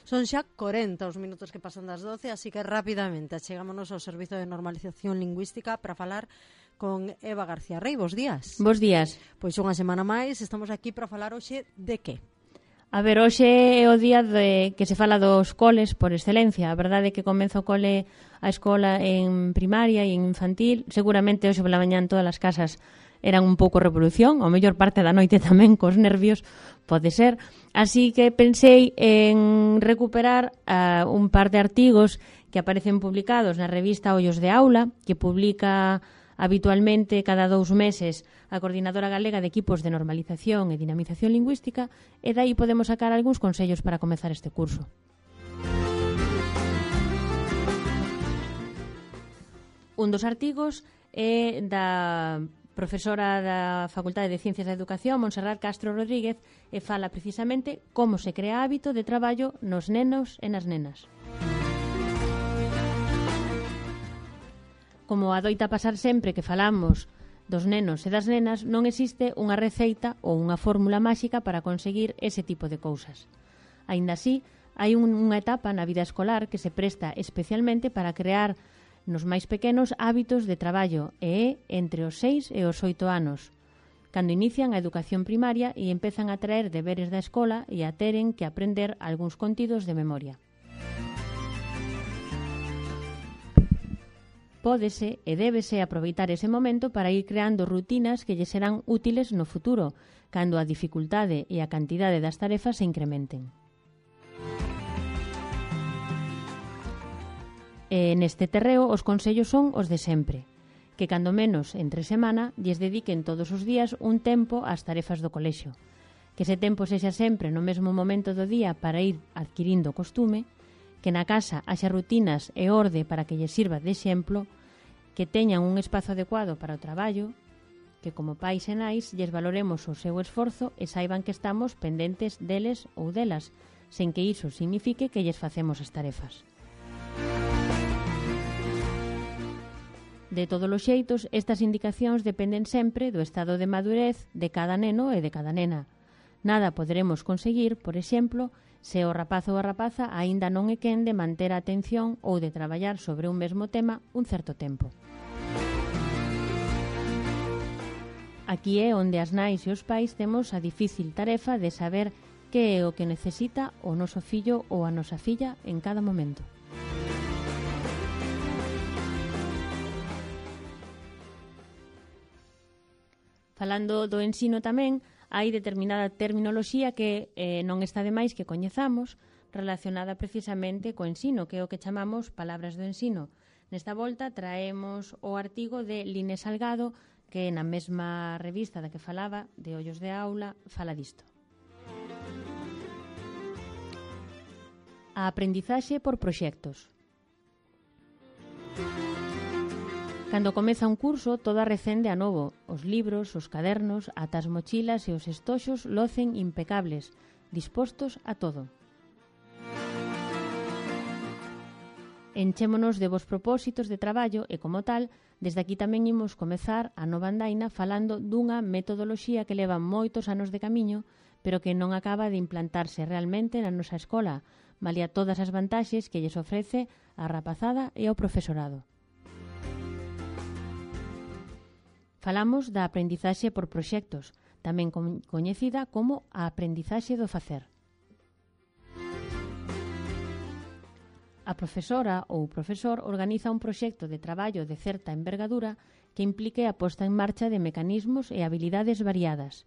Son xa 40 os minutos que pasan das 12, así que rapidamente achegámonos ao Servizo de Normalización Lingüística para falar con Eva García Rey. Bos días. Bos días. Pois unha semana máis, estamos aquí para falar hoxe de que? A ver, hoxe é o día de que se fala dos coles por excelencia. A verdade é que comeza o cole a escola en primaria e en infantil. Seguramente hoxe pola mañá en todas as casas eran un pouco revolución, a mellor parte da noite tamén cos nervios, pode ser. Así que pensei en recuperar un par de artigos que aparecen publicados na revista Ollos de Aula, que publica habitualmente cada 2 meses a Coordinadora Galega de Equipos de Normalización e Dinamización Lingüística, e dai podemos sacar algúns consellos para comezar este curso. Un dos artigos é da profesora da Facultade de Ciencias da Educación, Montserrat Castro Rodríguez, e fala precisamente como se crea hábito de traballo nos nenos e nas nenas. Como adoita pasar sempre que falamos dos nenos e das nenas, non existe unha receita ou unha fórmula máxica para conseguir ese tipo de cousas. Aínda así, hai unha etapa na vida escolar que se presta especialmente para crear nos máis pequenos hábitos de traballo e é entre os 6 e os 8 anos, cando inician a educación primaria e empezan a traer deberes da escola e a teren que aprender algúns contidos de memoria. Pódese e débese aproveitar ese momento para ir creando rutinas que lle serán útiles no futuro, cando a dificultade e a cantidade das tarefas se incrementen. E neste terreo os consellos son os de sempre, que cando menos entre semana lles dediquen todos os días un tempo ás tarefas do colexio, que ese tempo sexa sempre no mesmo momento do día para ir adquirindo costume, que na casa haxa rutinas e orde para que lles sirva de exemplo, que teñan un espazo adecuado para o traballo, que como pais e nais lles valoremos o seu esforzo e saiban que estamos pendentes deles ou delas, sen que iso signifique que lles facemos as tarefas. De todos os xeitos, estas indicacións dependen sempre do estado de madurez de cada neno e de cada nena. Nada poderemos conseguir, por exemplo, se o rapaz ou a rapaza aínda non é quen de manter a atención ou de traballar sobre un mesmo tema un certo tempo. Aquí é onde as nais e os pais temos a difícil tarefa de saber que é o que necesita o noso fillo ou a nosa filla en cada momento. Falando do ensino tamén, hai determinada terminoloxía que non está de máis que coñezamos, relacionada precisamente co ensino, que é o que chamamos palabras do ensino. Nesta volta traemos o artigo de Line Salgado, que na mesma revista da que falaba, de Ollos de Aula, fala disto. A aprendizaxe por proxectos. Cando comeza un curso, todo arrecende a novo. Os libros, os cadernos, ata as mochilas e os estoxos locen impecables, dispostos a todo. Enchémonos de vos propósitos de traballo e, como tal, desde aquí tamén imos comezar a nova andaina falando dunha metodoloxía que leva moitos anos de camiño, pero que non acaba de implantarse realmente na nosa escola, malia todas as vantaxes que lles ofrece a rapazada e ao profesorado. Falamos da aprendizaxe por proxectos, tamén coñecida como a aprendizaxe do facer. A profesora ou profesor organiza un proxecto de traballo de certa envergadura que implique a posta en marcha de mecanismos e habilidades variadas: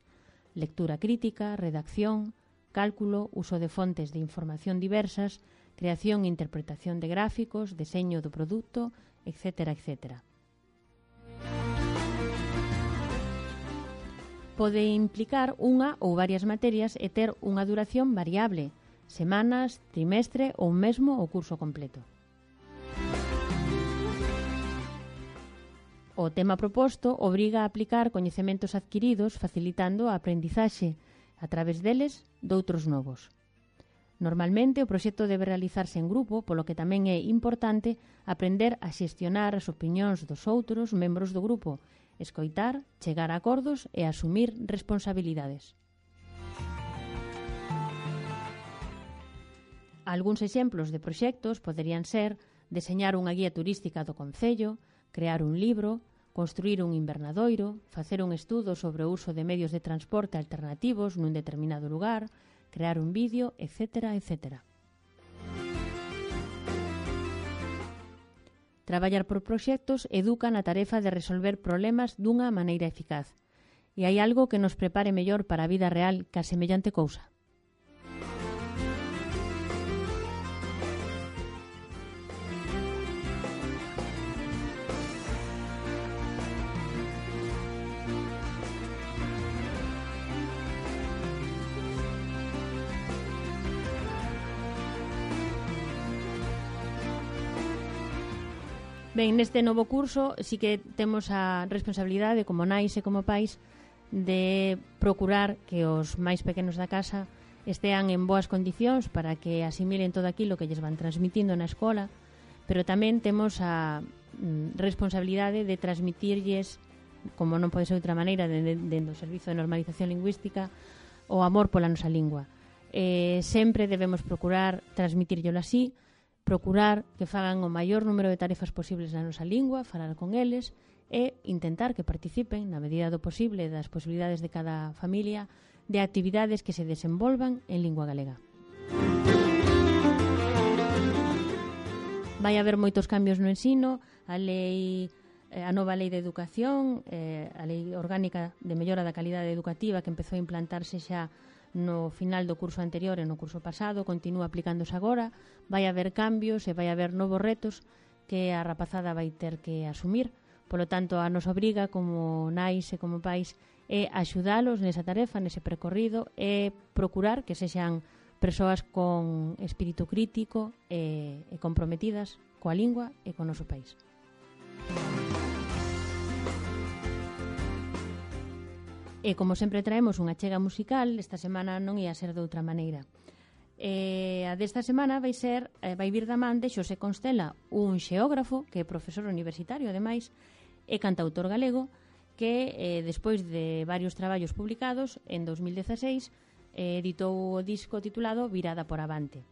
lectura crítica, redacción, cálculo, uso de fontes de información diversas, creación e interpretación de gráficos, deseño do produto, etc., etc. Pode implicar unha ou varias materias e ter unha duración variable, semanas, trimestre ou mesmo o curso completo. O tema proposto obriga a aplicar coñecementos adquiridos facilitando a aprendizaxe a través deles doutros novos. Normalmente o proxecto debe realizarse en grupo, polo que tamén é importante aprender a xestionar as opinións dos outros membros do grupo, escoitar, chegar a acordos e asumir responsabilidades. Algúns exemplos de proxectos poderían ser deseñar unha guía turística do concello, crear un libro, construir un invernadoiro, facer un estudo sobre o uso de medios de transporte alternativos nun determinado lugar, crear un vídeo, etc., etc. Traballar por proxectos educa na tarefa de resolver problemas dunha maneira eficaz. E hai algo que nos prepare mellor para a vida real que a semellante cousa. Ben, neste novo curso sí que temos a responsabilidade como nais e como pais de procurar que os máis pequenos da casa estean en boas condicións para que asimilen todo aquilo que lles van transmitindo na escola, pero tamén temos a responsabilidade de transmitirlles, como non pode ser de outra maneira, dentro do Servizo de Normalización Lingüística, o amor pola nosa lingua. Sempre debemos procurar transmitirllelo así, procurar que fagan o maior número de tarefas posibles na nosa lingua, falar con eles e intentar que participen, na medida do posible das posibilidades de cada familia, de actividades que se desenvolvan en lingua galega. Vai haber moitos cambios no ensino, a nova lei de educación, a lei orgánica de mellora da calidade educativa que empezou a implantarse xa no final do curso anterior e no curso pasado, continúa aplicándose agora, vai haber cambios e vai haber novos retos que a rapazada vai ter que asumir. Polo tanto, a nos obriga como nais e como pais é axudalos nesa tarefa, nese percorrido, e procurar que sexan persoas con espírito crítico e comprometidas coa lingua e co noso país. E como sempre traemos unha chega musical, esta semana non ia ser de outra maneira. A desta semana vai vir da man de Xosé Constela, un xeógrafo que é profesor universitario, ademais, e cantautor galego, que despois de varios traballos publicados, en 2016, editou o disco titulado Virada por Avante.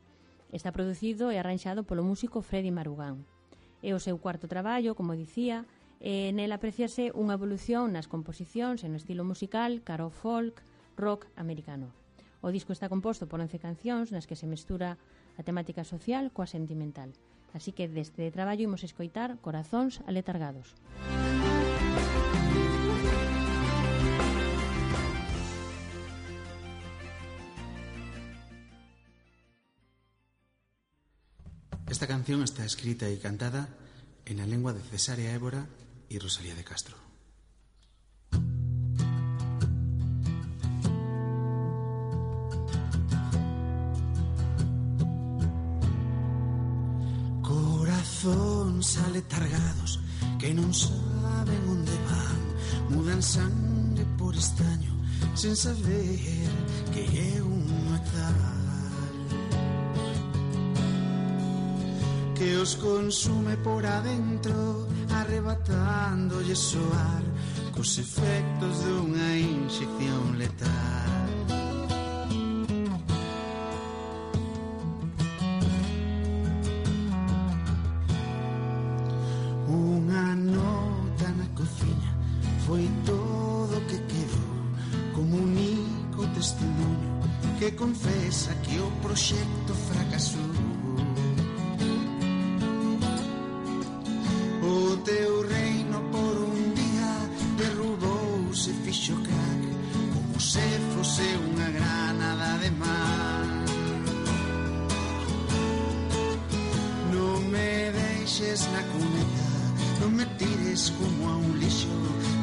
Está producido e arranxado polo músico Freddy Marugán. É o seu cuarto traballo, como dicía, e nel apreciase unha evolución nas composicións e no estilo musical cara ao folk, rock americano. O disco está composto por 11 cancións nas que se mestura a temática social coa sentimental. Así que deste traballo imos escoitar Corazóns aletargados. Esta canción está escrita y cantada en la lengua de Cesárea Évora y Rosalía de Castro. Corazóns aletargados que non saben onde van, mudan sangre por estaño sen saber que é un metal que os consume por adentro, arrebatándolle soar cos efectos dunha inxección letal. Unha nota na cociña foi todo o que quedou como único testimonio que confesa que o proxecto fracasou. O teu reino por un día derrubouse, fixo crack como se fose unha granada de mar. Non me deixes na cuneta, non me tires como a un lixo,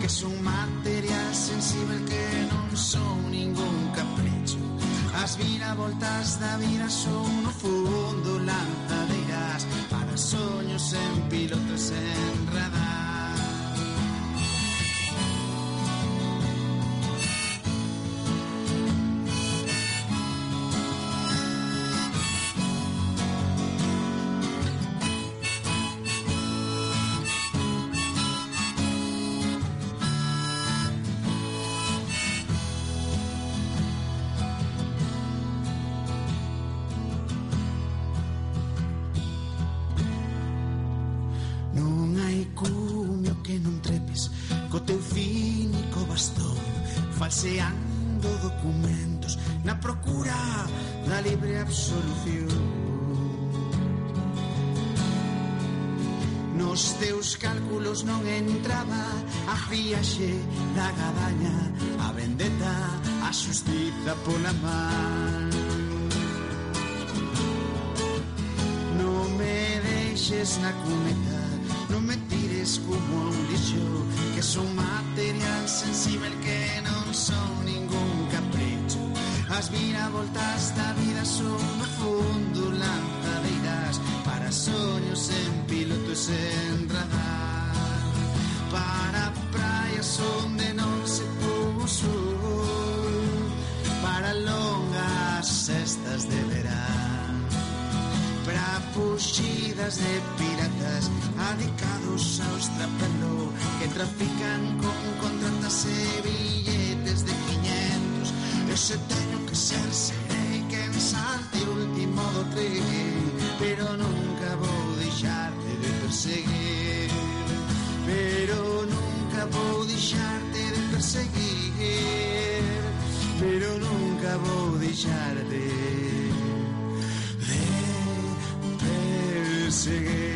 que son material sensible que non son ningún capricho. As viravoltas da vida son no fundo lanzadeiras para soños en pilotos en radar. cumio que non trepes co teu cínico bastón, falseando documentos na procura da libre absolución. Nos teus cálculos non entraba a friaxe da gadaña, a vendetta, a xustiza pola man. Non me deixes na cuneta, non me tires como a un lixo, que son material sensible que non son ningún capricho. As viravoltas da vida son no fundo lanzadeiras para soños en piloto e sen radar, para praias onde non se puso, para longas cestas de verán, para fuxidas de piratas adicados ao estrapelo, que trafican con contratas e billetes de 500. Eu se teño que ser, serei quen salte o último do tren, pero nunca vou deixarte de perseguir, pero nunca vou deixarte de perseguir, pero nunca vou deixarte de perseguir.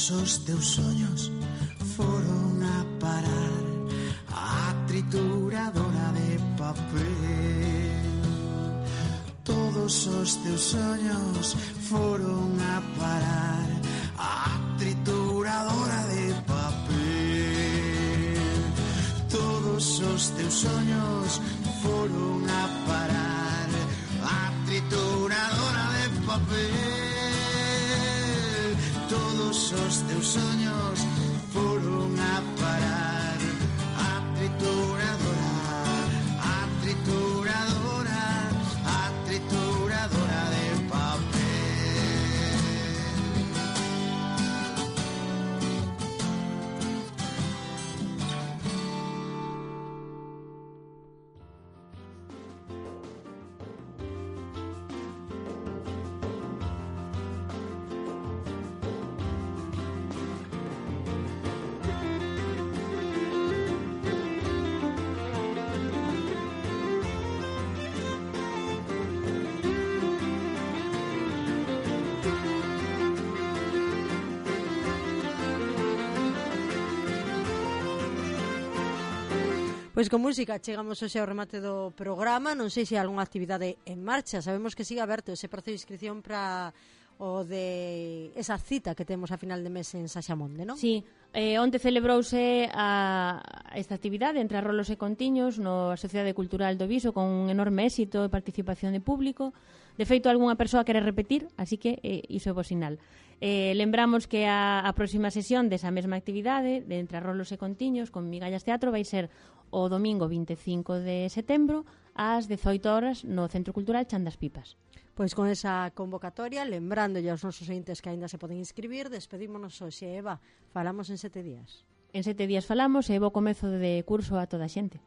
Os teus soños foron a parar a trituradora de papel. Todos os teus soños foron a parar a trituradora de papel. Todos os teus soños foron a parar a trituradora de papel. Todos os teus soños foron a parar a trituradora, a trituradora, a trituradora de papel. Pois con música chegamos hoxe ao remate do programa. Non sei se hai algunha actividade en marcha. Sabemos que sigue aberto ese proceso de inscripción para o de esa cita que temos a final de mes en Saxamonde, non? Sí, onte celebrouse esta actividade entre Arrolos e Contiños no Sociedade Cultural do Viso con un enorme éxito e participación de público. De feito, algunha persoa quere repetir, así que iso é bo sinal. Lembramos que a próxima sesión desa mesma actividade de entre Arrolos e Contiños con Migallas Teatro vai ser o domingo 25 de setembro ás 18 horas no Centro Cultural Chan das Pipas. Pois con esa convocatoria, lembrándolle aos nosos ointes que aínda se poden inscribir, despedímonos hoxe, Eva. Falamos en 7 días. En 7 días falamos e bo comezo de curso a toda a xente.